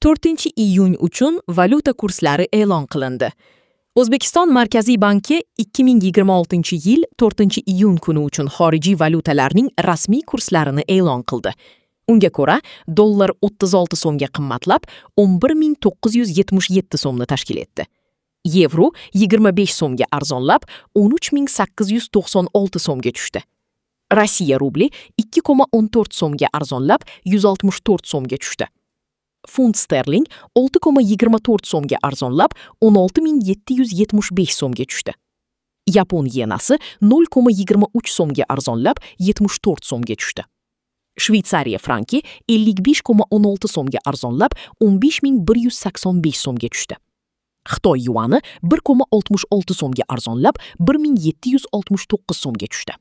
4-iyun uchun valyuta kurslari e'lon qilindi. O'zbekiston Markaziy banki 2026-yil 4-iyun kuni uchun xorijiy valyutalarning rasmiy kurslarini e'lon qildi. Unga ko'ra, dollar 36 so'mga qimmatlab, 11 977 so'mni tashkil etdi. Yevro 25 so'mga arzonlab, 13 896 so'mga tushdi. Rossiya rubli 2,14 so'mga arzonlab, 164 so'mga tushdi. Funt sterling 6,24 so'mga arzonlab, 16 775 so'mga tushdi. Yapon yenasi 0,23 so'mga arzonlab, 74 so'mga tushdi. Shveytsariya franki 55,16 so'mga arzonlab, 15 185 so'mga tushdi. Xitoy yuani 1,66 so'mga arzonlab, 1769 so'mga tushdi.